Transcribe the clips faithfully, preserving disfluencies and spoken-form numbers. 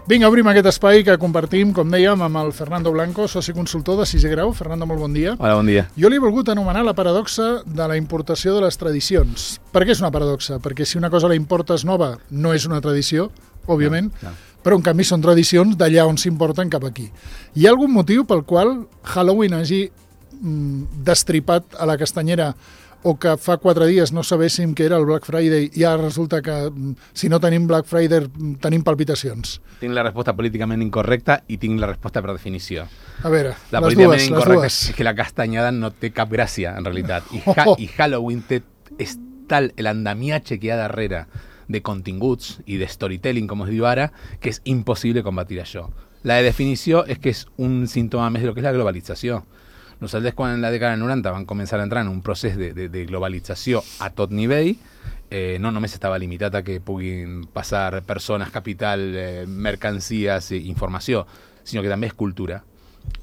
Vinga, obrim aquest espai que compartim, com dèiem, amb el Fernando Blanco, soci consultor de sisè grau. Fernando, molt bon dia. Hola, bon dia. Jo l'he volgut anomenar la paradoxa de la importació de les tradicions. Per què és una paradoxa? Perquè si una cosa la importes nova no és una tradició, òbviament, no, no. Però en canvi són tradicions d'allà on s'importen cap aquí. Hi ha algun motiu pel qual Halloween hagi mm, destripat a la castanyera o que fa quatre dies no sabéssim què era el Black Friday i ara resulta que si no tenim Black Friday tenim palpitacions? Tinc la resposta políticament incorrecta i tinc la resposta per definició. A veure, la les políticament dues, incorrecta les dues. És que la castanyada no té cap gràcia, en realitat. I, ha oh. i Halloween té, és tal l'andamiatge que hi ha darrere de continguts i de storytelling, com es diu ara, que és impossible combatir això. La de definició és que és un símptoma més de lo que és la globalització. Nosaltres, quan en la dècada del noranta van començar a entrar en un procés de, de, de globalització a tot nivell, eh, no només estava limitat a que puguin passar persones, capital, eh, mercancies i informació, sinó que també és cultura.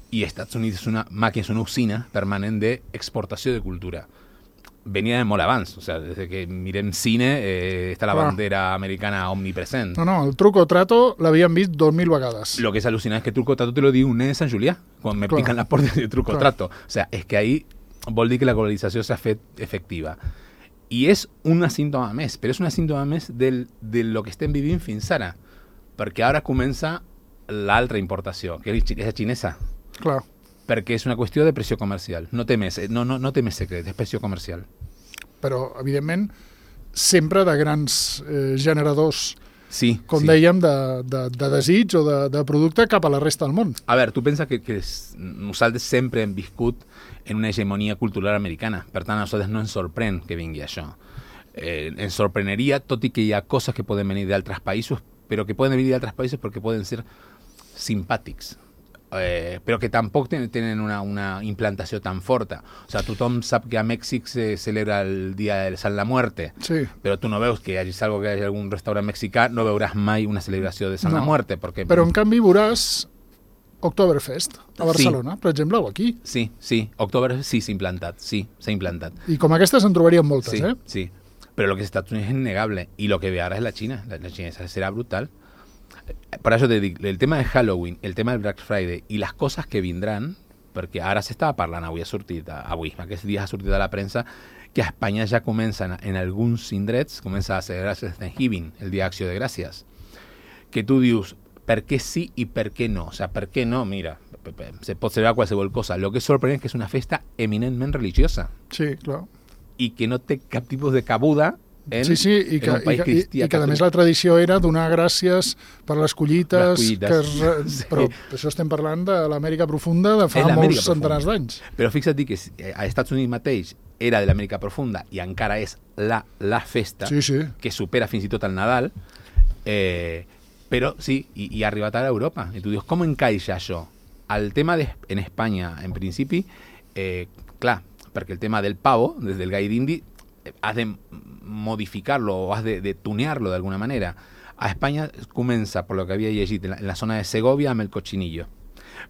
I Estats Units és una màquina, és una usina permanent d'exportació de cultura. Venia de molt abans, o sea, des que mirem cine eh, està la bandera americana omnipresent. No, no, el truco o trato l'havíem vist dos mil vegades. Lo que es alucinante es que truco o trato te lo diu un nen de Sant Julià, quan me Clar. pican las portes de truco o trato. O sea, es que ahí vol dir que la globalització s'ha fet efectiva. I és un símptoma més, però és un símptoma més del, de lo que estem vivint fins ara, perquè ara comença l'altra importació, que és la xinesa. Clar. Perquè és una qüestió de pressió comercial. No té més, no, no, no té més secret, és pressió comercial. Però, evidentment, sempre de grans eh, generadors, sí, com sí. dèiem, de, de, de desig o de, de producte cap a la resta del món. A veure, tu pensa que, que és, nosaltres sempre hem viscut en una hegemonia cultural americana. Per tant, a nosaltres no ens sorprèn que vingui això. Eh, ens sorpreneria, tot i que hi ha coses que poden venir d'altres països, però que poden venir d'altres països perquè poden ser simpàtics. Eh, però que tampoc ten, tenen una, una implantació tan forta. O sea, tothom sap que a Mèxic se celebra el dia de Sant la Muerte, sí. Però tu no veus que hi hagi algo que hi hagi algun restaurant mexicà, no veuràs mai una celebració de Sant no. la Muerte. Perquè... Però en canvi veuràs Oktoberfest a Barcelona, sí. Per exemple, o aquí. Sí, sí, Oktoberfest sí s'ha implantat, sí, s'ha implantat. I com aquestes en trobaríem moltes, sí, eh? Sí, però lo que Estats Units és innegable, i lo que ve ara és la Xina, la, la Xina serà brutal. Per això te dic, el tema de Halloween, el tema del Black Friday i les coses que vindran, perquè ara s'estava parlant, avui ha sortit, avui, aquests dies ha sortit a la premsa, que a Espanya ja comencen, en alguns indrets, comença a celebrar-se Thanksgiving, el dia d'Acció de Gràcies. Que tu dius, per què sí i per què no? O sea, per què no? Mira, se pot celebrar qualsevol cosa. Lo que és sorprenent és que és una festa eminentment religiosa. Sí, clar. I que no té cap tipus de cabuda En, sí, sí, i que, i que, i, i que a més la tradició era donar gràcies per les collites, les collites. Que es, sí. Però això estem parlant de l'Amèrica profunda de fa molts centenars d'anys. Però fixa't que a Estats Units mateix era de l'Amèrica profunda i encara és la, la festa sí, sí. que supera fins i tot el Nadal, eh, però sí, i, i ha arribat ara a Europa. I tu dius, com encaixa això? El tema de, en Espanya, en principi, eh, clar, perquè el tema del pavo, des del gall d'indi, has de modificarlo o has de, de tunearlo de alguna manera. A Espanya comença, per lo que havia llegit, en la, en la zona de Segovia amb el cochinillo.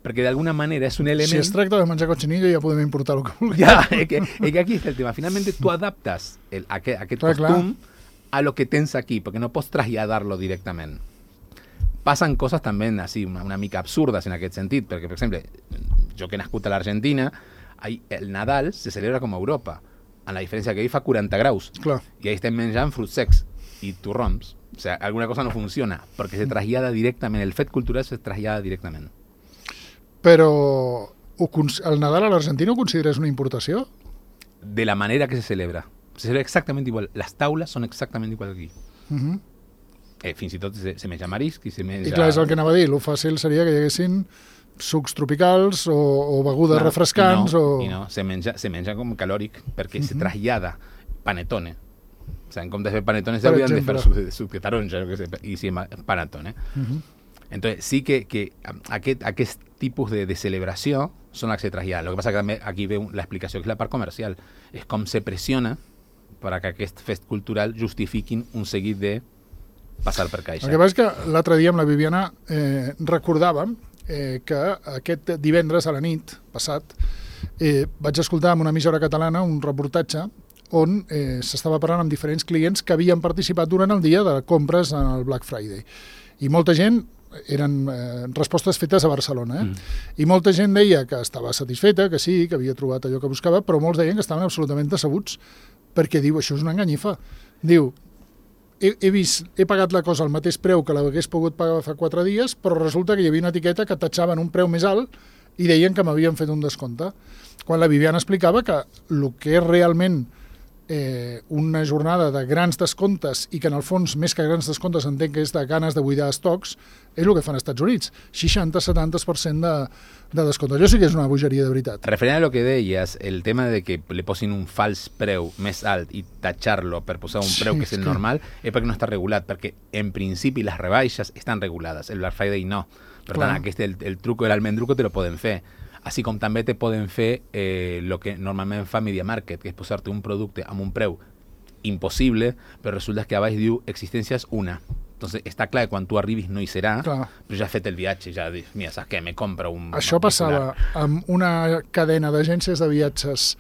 Perquè d'alguna manera és un element... Si es tracta de menjar cochinillo ja podem importar el que vulguem. Ja, és que, és que aquí està el tema. Finalmente tu adaptes el, aquest, aquest clar, costum clar. A lo que tens aquí, perquè no pots traslladarlo directament. Passen coses també així, una, una mica absurdes en aquest sentit, perquè, per exemple, jo que he nascut a l'Argentina, el Nadal se celebra com a Europa, en la diferència que ahí fa quaranta graus. Clar. I ahí estem menjant fruits secs i torrons. O sea, alguna cosa no funciona, perquè se trasllada directament, el fet cultural se trasllada directament. Però el Nadal a l'Argentina ho consideres una importació? De la manera que se celebra. Se celebra exactament igual. Les taules són exactament igual que aquí. Uh -huh. eh, fins i tot se, se menja marisc i se menja... I clar, és el que anava a dir. Lo fàcil seria que hi haguessin sucs tropicals o, o begudes clar, refrescants. I no, o... i no se, menja, se menja com calòric, perquè uh-huh. se trasllada panetone. O sigui, en comptes de fer panetone se haurien de fer suc de, suc de taronja, que sé, i sí, panetone. Uh-huh. Entonces, sí que, que aquest, aquest tipus de, de celebració són les que se traslladen. Lo que passa que també aquí ve l'explicació, que és la part comercial. És com se pressiona per a que aquest fest cultural justifiquin un seguit de passar per caixa. El que passa és que l'altre dia amb la Viviana eh, recordàvem eh, que aquest divendres a la nit passat eh, vaig escoltar en una emissora catalana un reportatge on eh, s'estava parlant amb diferents clients que havien participat durant el dia de compres en el Black Friday. I molta gent eren eh, respostes fetes a Barcelona. Eh? Mm. I molta gent deia que estava satisfeta, que sí, que havia trobat allò que buscava, però molts deien que estaven absolutament decebuts, perquè diu, això és una enganyifa. Diu, he, he vist, he pagat la cosa al mateix preu que l'hagués pogut pagar fa quatre dies, però resulta que hi havia una etiqueta que tatxaven un preu més alt i deien que m'havien fet un descompte. Quan la Viviana explicava que el que és realment eh, una jornada de grans descomptes i que en el fons, més que grans descomptes, entenc que és de ganes de buidar estocs, és el que fan als Estats Units. seixanta a setanta per cent de, de descompte. Això sí que és una bogeria de veritat. Referent a lo que deies, el tema de que li posin un fals preu més alt i tatxar-lo per posar un Sí, preu que és és el que- normal, és perquè no està regulat, perquè en principi les rebaixes estan regulades, el Black Friday no. Per Clar. tant, aquest, el, el truco de l'almendruco te lo poden fer. Així com també te poden fer eh, el que normalment fa Media Market, que és posar-te un producte amb un preu impossible, però resulta que a baix diu existències una. Entonces està clar que quan tu arribis no hi serà, Clar. però ja has fet el viatge, ja dius, mira, saps què, me compro un... Això un passava amb una cadena d'agències de viatges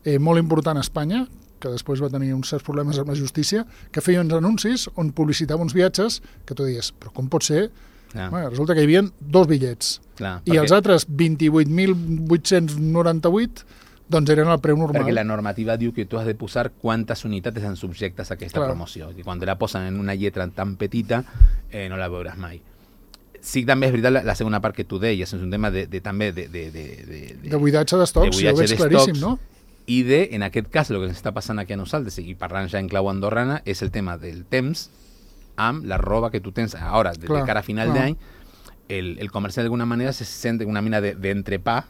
eh, molt important a Espanya, que després va tenir uns certs problemes amb la justícia, que feia uns anuncis on publicitava uns viatges que tu deies, però com pot ser? Ah. Bueno, resulta que hi havia dos bitllets. Clar, I els altres vint-i-vuit mil vuit-cents noranta-vuit doncs eren el preu normal. Perquè la normativa diu que tu has de posar quantes unitats estan subjectes a aquesta Clar. promoció. Que quan te la posen en una lletra tan petita, eh, no la veuràs mai. Sí, també és veritat la, la segona part que tu deies, és un tema de, de també de... De, de, de, De buidatge d'estocs, de jo ho buidatge veig claríssim, d'estocs, no? I de, en aquest cas, el que ens està passant aquí a nosaltres, i parlant ja en clau andorrana, és el tema del temps amb la roba que tu tens ara, de, Clar, de cara a final clar. d'any. El, el comerciant d'alguna manera se sent una mina de, de entrepà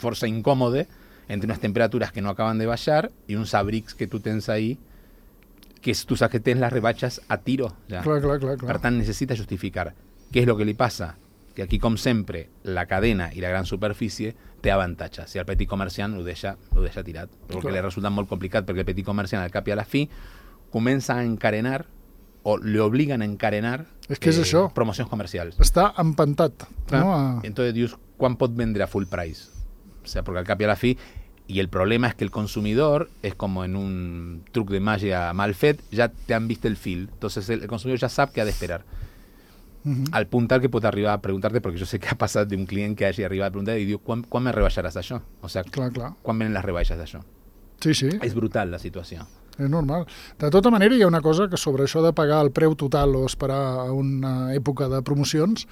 força incòmode entre unes temperatures que no acaben de baixar i uns abrics que tu tens ahí que és, tu saps que tens les rebaixes a tiro. Ja. Clar, clar, clar, clar. Per tant, necessita justificar. Què és el que li passa? Que aquí, com sempre, la cadena i la gran superfície té avantatge. Si el petit comerciant ho deixa, ho deixa tirat. Però que Clar. li resulta molt complicat, perquè el petit comerciant, al cap i a la fi, comença a encarenar o le obligan a encarenar És que és això. promocions comercials. Està empantat. Clar. No? A... Entonces dius, ¿cuán pot vendre a full price? O sea, porque al cap y a la fi, y el problema es que el consumidor es como en un truc de magia mal fet, ya te han visto el fil. Entonces el, el consumidor ya sabe qué ha de esperar. Mhm. Al punt tal que pot arribar a preguntar-te, perquè jo sé que ha passat d'un client que hagi arribat a preguntar i diu, quan, quan me rebaixaràs això? O sea, Clar, clar. quan venen les rebaixes d'això? Sí, sí. És brutal la situació. És normal. De tota manera, hi ha una cosa que sobre això de pagar el preu total o esperar a una època de promocions,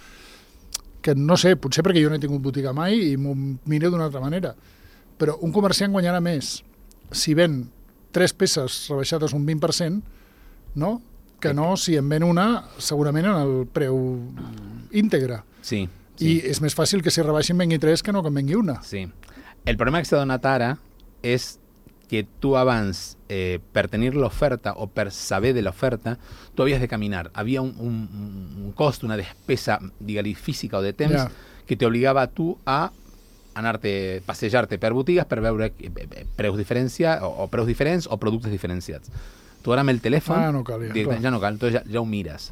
que no sé, potser perquè jo no he tingut botiga mai i m'ho miro d'una altra manera, però un comerciant guanyarà més si ven tres peces rebaixades un vint per cent, no? Que no si en ven una segurament en el preu íntegre. Sí, I sí, és més fàcil que si rebaixin vengui tres que no que en vengui una. sí. El problema que s'ha donat ara és que tu abans, eh, per tenir l'oferta o per saber de l'oferta, tu havies de caminar. Havia un, un, un cost, una despesa, digue-li, física o de temps, Ja. que t'obligava a tu a anar-te, passejar-te per botigues per veure eh, eh, preus diferenciats o, o preus diferents o productes diferenciats. Tu ara amb el telèfon Ah, no cal, ja, directament clar. ja no cal, entonces ja, ja ho mires.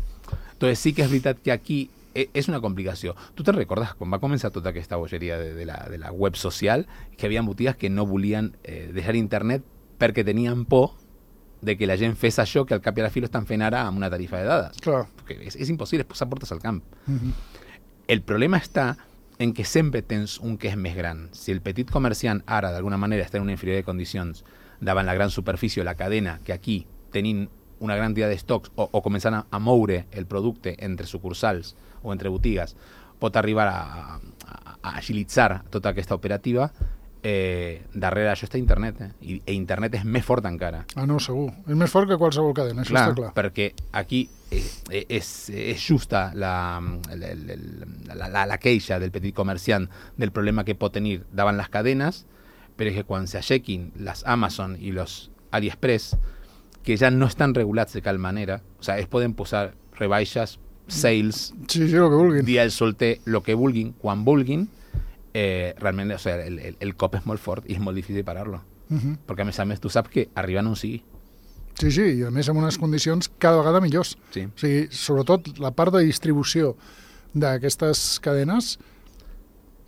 Entonces sí que és veritat que aquí eh, és una complicació. Tu te recordes quan va començar tota aquesta bogeria de, de, la, de la web social, que hi havia botigues que no volien eh, deixar internet perquè tenien por de que la gent fes això que al cap i a la fi lo estan fent ara amb una tarifa de dades. Clar. Perquè és, és impossible, és posar portes al camp. Mhm. El problema està en que sempre tens un que és més gran. Si el petit comerciant ara d'alguna manera està en una inferior de condicions davant la gran superfície o la cadena, que aquí tenim una gran quantitat d'estocs o, o començant a, a moure el producte entre sucursals o entre botigues, pot arribar a, a, a agilitzar tota aquesta operativa, eh, darrere això està internet, eh? I, i internet és més fort encara. Ah, no, segur. És més fort que qualsevol cadena, això Clar, està clar. perquè aquí eh, eh, és, és justa la, la, la, la, la queixa del petit comerciant del problema que pot tenir davant les cadenes, però és que quan s'aixequin les Amazon i los AliExpress, que ja no estan regulats de cal manera, o sea, es poden posar rebaixes, sales, Sí, sí, el que vulguin. dia del solter, lo que vulguin, quan vulguin, eh, realment, o sea, el, el, el cop és molt fort i és molt difícil parar-lo. Mhm. Perquè a més a més tu saps que arriben on sigui. Sí, sí, i a més amb unes condicions cada vegada millors. Sí. O sigui, sobretot la part de distribució d'aquestes cadenes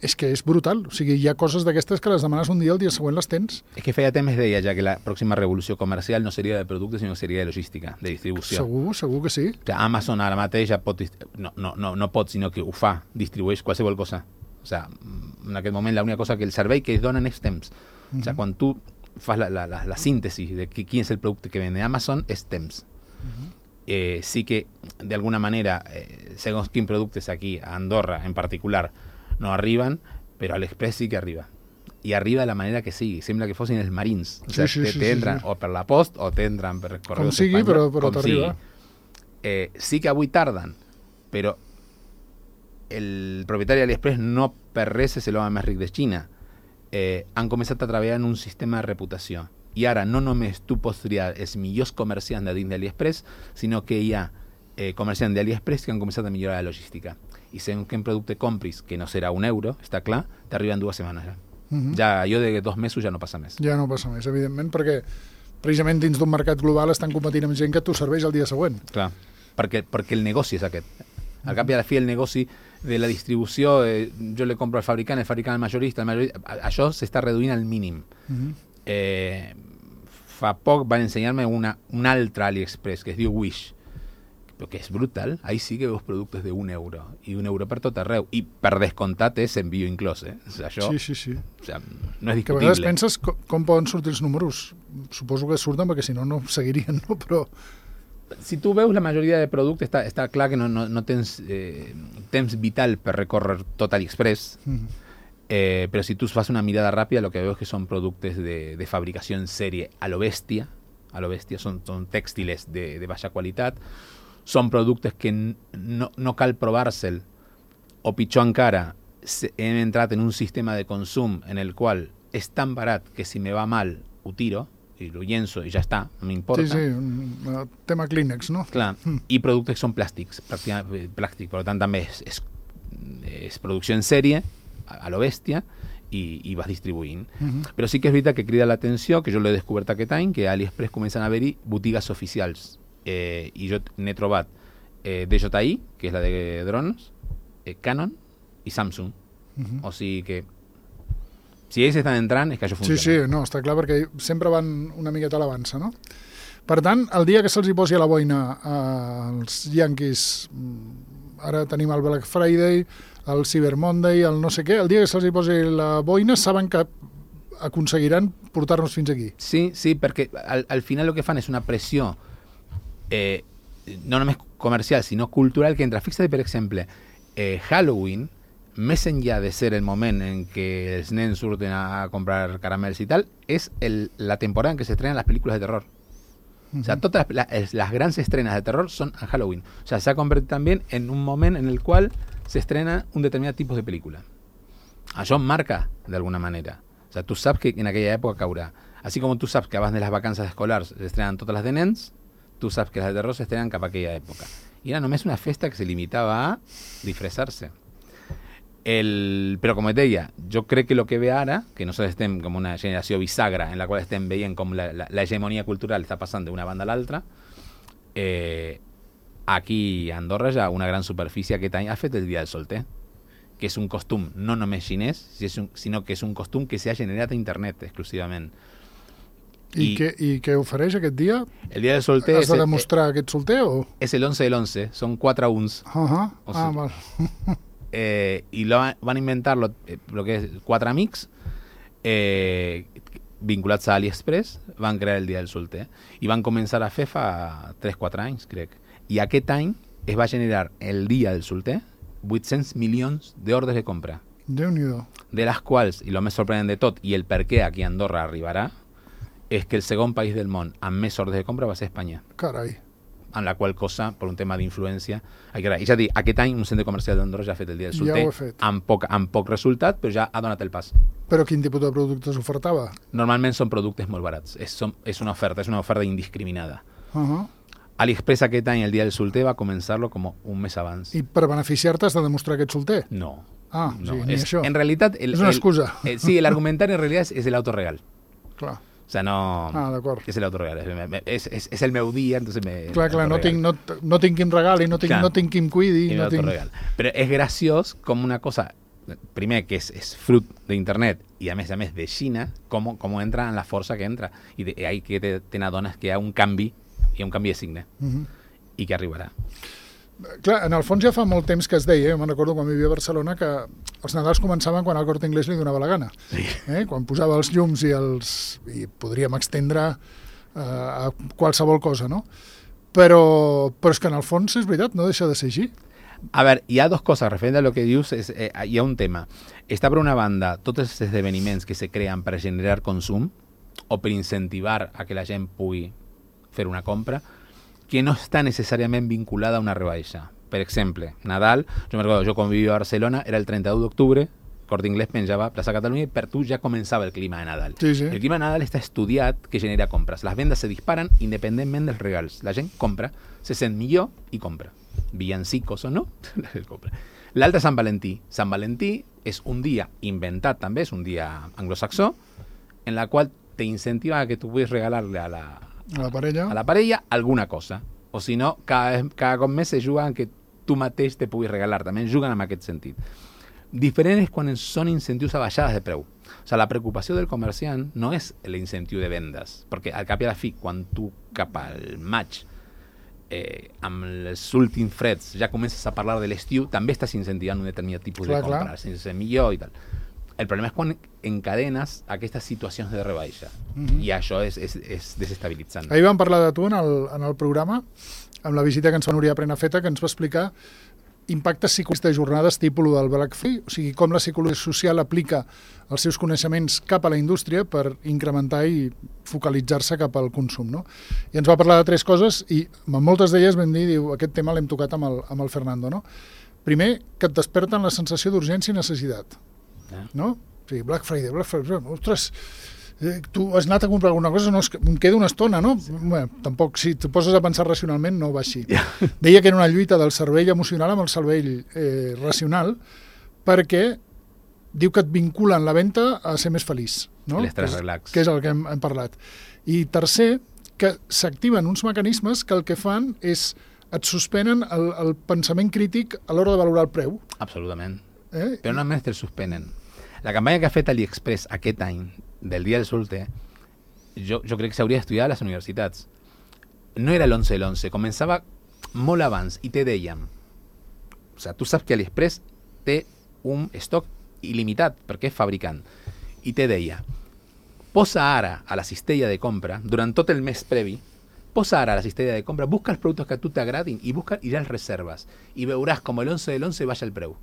és que és brutal. O sigui, hi ha coses d'aquestes que les demanes un dia, el dia següent les tens. És que feia temps deia ja que la pròxima revolució comercial no seria de producte, sinó que seria de logística, de distribució. Segur, segur que sí. O sigui, Amazon ara mateix ja pot... No, no, no, no pot, sinó que ho fa, distribueix qualsevol cosa. O sigui, en aquest moment l'única cosa que el servei que es donen és temps. O sigui, quan tu fas la, la, la, la síntesi de qui, quin és el producte que vende Amazon, és temps. Uh-huh. eh, sí que, de alguna manera, eh, segons quins productes aquí, a Andorra en particular, no arriben, però a l'Express sí que arriba. I arriba de la manera que sigui. Sembla que fossin els marins. O sigui, sí, sí, sí, t'entren sí, sí. o per la post o t'entren per correus com sigui, però, però t'arriba. Eh, sí que avui tarden, però el propietari de l'Express no per res és l'home més ric de Xina. Eh, han començat a treballar en un sistema de reputació. I ara no només tu pots triar els millors comerciants de dins de l'Express, sinó que hi ha eh, comerciants de l'Express que han començat a millorar la logística. I segons quin producte compris, que no serà un euro, està clar, t'arriba en dues setmanes ja. Uh-huh. Ja allò de dos mesos ja no passa més. Ja no passa més, evidentment, perquè precisament dins d'un mercat global estan competint amb gent que t'ho serveix el dia següent. Clar, perquè, perquè el negoci és aquest. Al cap i a la fi el negoci de la distribució, eh, jo le compro al fabricant, el fabricant al majorista, el majorista, això s'està reduint al mínim. Uh-huh. eh, fa poc van ensenyar-me una, un altre AliExpress que es diu Wish, però que és brutal. Ahí sí que veus productes d'un euro, i un euro per tot arreu, i per descomptat és envio inclòs, eh? O sigui, això, sí, sí, sí. O sigui, no és discutible. Que a vegades penses com, com poden sortir els números. Suposo que surten perquè si no, no seguirien, no? Però... Si tu veus la majoria de productes, està, està clar que no, no, no tens eh, temps vital per recórrer tot AliExpress, mm. eh, però si tu fas una mirada ràpida, lo que veus que són productes de, de fabricació en sèrie a lo bèstia, a lo bèstia, són, són tèxtiles de, de baixa qualitat, són productes que no, no cal provar-se'l, o pitjor encara, hem entrat en un sistema de consum en el qual és tan barat que si me va mal ho tiro i lo llenço i ja està, no m'importa. Sí, sí, un tema Kleenex, no? Clar, mm. i productes que són plàstics, plàstic, per tant també és, és, és producció en sèrie, a, a lo bèstia, i, i vas distribuint. Mm-hmm. Però sí que és veritat que crida l'atenció, que jo l'he descobert aquest any, que a AliExpress comencen a haver-hi botigues oficials. Eh, i jo n'he trobat eh, D J I, que és la de drons, eh, Canon i Samsung. Uh-huh. O sigui que si ells estan entrant és que això funciona. Sí, sí, no, està clar, perquè sempre van una miqueta a l'avança, no? Per tant, el dia que se'ls hi posi a la boina als Yankees, ara tenim el Black Friday, el Cyber Monday, el no sé què, el dia que se'ls hi posi la boina saben que aconseguiran portar-nos fins aquí. Sí, sí, perquè al, al final el que fan és una pressió Eh, no només comercial, sinó cultural, que entra. Fixa't, per exemple, eh, Halloween, més enllà de ser el moment en què els nens surten a comprar caramels i tal, és el, la temporada en què s'estrenen les pel·lícules de terror. Uh-huh. O sea, totes las, las grans estrenas de terror son en Halloween. O sea, se ha convertido también en un moment en el qual se estrena un determinat tipus de pel·lícula. Això marca, d'alguna manera. O sea, tu saps que en aquella època caurà. Així com tu saps que abans de les vacances escolars s'estrenen totes les de nens, tu saps que les de terror s'estrenen cap a aquella època. I era només una festa que se limitava a disfressar-se. El... Però, com et deia, jo crec que el que ve ara, que nosaltres estem com una generació bisagra en la qual estem veient com la, la, la hegemonia cultural està passant d'una banda a l'altra, eh, aquí a Andorra ja una gran superfície aquest any ha fet el Dia del Solter, que és un costum no només xinès, sinó que és un costum que s'ha generat a internet exclusivament. I, I, què, I què ofereix aquest dia? El dia del solter... Has de demostrar el, aquest solter o...? És el once del once, són quatre uns. Uh -huh. o sigui, ah, val. eh, I lo, van inventar lo, lo que és quatre amics eh, vinculats a AliExpress, van crear el dia del solter i van començar a fer fa tres quatre anys, crec. I aquest any es va generar el dia del solter vuit-cents milions d'ordres de compra. Déu-n'hi-do. De les quals, i el més sorprenent de tot, i el per què aquí a Andorra arribarà, és que el segon país del món amb més ordres de compra va ser Espanya. Carai. En la qual cosa, per un tema d'influència... I ja dic, aquest any un centre comercial d'Andorra ja ha fet el dia del solter, ja ho ha fet. Amb, poc, amb poc resultat, però ja ha donat el pas. Però quin tipus de productes ofertava? Normalment són productes molt barats. És, són, és una oferta, és una oferta indiscriminada. Uh -huh. AliExpress aquest any, el dia del solter, va començar-lo com un mes abans. I per beneficiar-te has de demostrar que ets solter? No. Ah, no. sí, ni és, això. En realitat... El, és una excusa. El, el, sí, l'argumentari en realitat és, és el auto regal. Clar. O sea, no... Ah, d'acord. És el autoregal. És, és, és el meu dia, entonces me... Clar, clar, no tinc, no, no tinc qui em regali, no tinc, no tinc qui em cuidi. No tinc... Però és graciós com una cosa primer, que és, és fruit d'internet i a més a més de Xina, com, com entra en la força que entra. I de, ahí que te, te n'adones que hi ha un canvi, hi ha un canvi de signe, uh-huh. i que arribarà. Clar, en el fons ja fa molt temps que es deia, eh? me'n recordo quan vivia a Barcelona, que els Nadals començaven quan el Corte Inglés li donava la gana. Sí. Eh? Quan posava els llums i els... i podríem extendre eh, a qualsevol cosa, no? Però, però és que en el fons és veritat, no deixa de ser així. A ver, hi ha dos coses, referent a lo que dius, és, eh, hi ha un tema. Està per una banda tots els esdeveniments que se creen per generar consum o per incentivar a que la gent pugui fer una compra, que no està necessàriament vinculada a una rebaixa. Per exemple, Nadal, jo me recordo, jo quan vivia a Barcelona, era el trenta-u d'octubre, Corte Inglés penjava a Plaça Catalunya i per tu ja començava el clima de Nadal. Sí, sí. El clima de Nadal està estudiat que genera compres. Les vendes se disparen independentment dels regals. La gent compra, se sent millor i compra. Villancicos o no, l'altre Sant Valentí. Sant Valentí és un dia inventat també, és un dia anglosaxó, en la qual te incentiva a que tu puguis regalar-li a la, a la parella a la parella alguna cosa. O si no, cada, cada cop més se juga en que tu mateix te puguis regalar. També juguen en aquest sentit. Diferent és quan són incentius a baixades de preu. O sigui, la preocupació del comerciant no és l'incentiu de vendes, perquè al cap i a la fi, quan tu cap al maig Eh, amb els últims freds ja comences a parlar de l'estiu, també estàs incentivant un determinat tipus clar, de compra, sense millor i tal. El problema és quan encadenes aquestes situacions de rebaixa, mm-hmm. i això és, és, és desestabilitzant. Ahir vam parlar de tu en el, en el programa, amb la visita que ens fa Núria Prenafeta, que ens va explicar impactes psicològics de jornades tipus del Black Friday, o sigui, com la psicologia social aplica els seus coneixements cap a la indústria per incrementar i focalitzar-se cap al consum, no? I ens va parlar de tres coses i amb moltes d'elles vam dir, diu, aquest tema l'hem tocat amb el, amb el Fernando, no? Primer, que et desperten la sensació d'urgència i necessitat, eh? no? O sigui, Black Friday, Black Friday, ostres, eh, tu has anat a comprar alguna cosa, no, és que em queda una estona, no? Sí. Bé, tampoc, si te poses a pensar racionalment, no va així. Yeah. Deia que era una lluita del cervell emocional amb el cervell eh, racional, perquè diu que et vinculen la venda a ser més feliç, no? L'estrès relax. Que és el que hem, hem parlat. I tercer, que s'activen uns mecanismes que el que fan és et suspenen el, el pensament crític a l'hora de valorar el preu. Absolutament. Eh? Però no només te'l suspenen. La campanya que ha fet AliExpress aquest any, del dia del solte, jo, jo crec que s'hauria d'estudiar a les universitats. No era l'onze de l'onze, començava molt abans i te dèiem, o sigui, tu saps que AliExpress té un estoc il·limitat perquè és fabricant, i te deia, posa ara a la cistella de compra, durant tot el mes previ, posa ara a la cistella de compra, busca els productes que a tu t'agradin i busca i ja els reserves, i veuràs com l'onze de l'onze baixa el preu.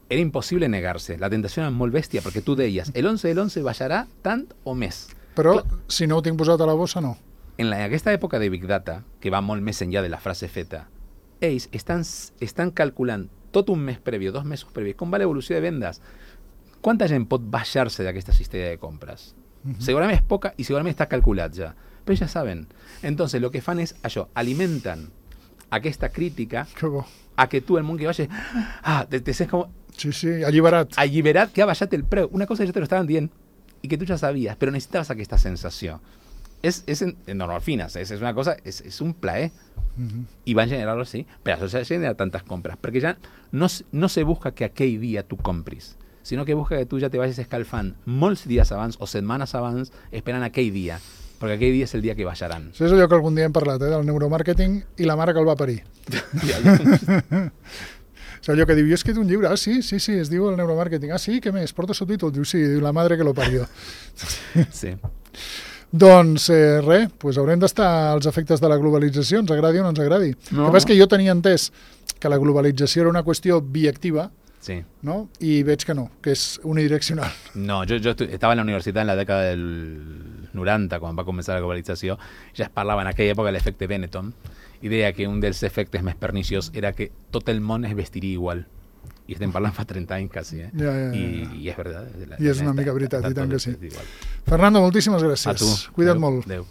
Era impossible negar-se, la tentació era molt bèstia, perquè tu deies, l'onze de l'onze baixarà tant o més. Però, clar, si no ho tinc posat a la bossa, no. En la, aquesta època de Big Data, que va molt més enllà de la frase feta, ells estan, estan calculant tot un mes previ, dos mesos previ, com va l'evolució de vendes. Quanta gent pot baixar-se d'aquesta cistella de compres? Uh-huh. Segurament és poca i segurament està calculat ja. Però ja saben. Entonces, lo que fan és això, alimenten aquesta crítica a que tu, el món que vagi, ah, te, te sents com... Sí, sí, alliberat. Alliberat que ha baixat el preu. Una cosa que ja te lo estaven dient i que tu ja sabies, però necessitaves aquesta sensació. És, és en, no, no, al final, és, és una cosa, és, és un plaer. Uh-huh. I van generar-lo així, per això s'ha generat tantes compres, perquè ja no, no se busca que aquell dia tu compris, sinó que busca que tu ja te vagis escalfant molts dies abans o setmanes abans esperant aquell dia, perquè aquell dia és el dia que baixaran. Això és allò que algun dia hem parlat, eh, del neuromàrqueting i la mare que el va parir. És allò que diu, jo he escrit un llibre, ah, sí, sí, sí, es diu el neuromàrqueting, ah, sí, què més, porta subtítol? Diu, sí, diu, la madre que lo parió. Sí. Doncs eh, res, pues haurem d'estar als efectes de la globalització, ens agradi o no ens agradi. No. El que passa és que jo tenia entès que la globalització era una qüestió biactiva, sí, no? I veig que no, que és unidireccional. No, jo, jo estava en la universitat en la dècada del noranta, quan va començar la globalització, ja es parlava en aquella època de l'efecte Benetton, i deia que un dels efectes més perniciós era que tot el món es vestiria igual. I estem parlant fa trenta anys quasi, eh? Ja, ja, ja. I, i és veritat. I és una mica veritat, i tant que sí. Fernando, moltíssimes gràcies. A tu. Cuida't Adeu. molt. Adéu.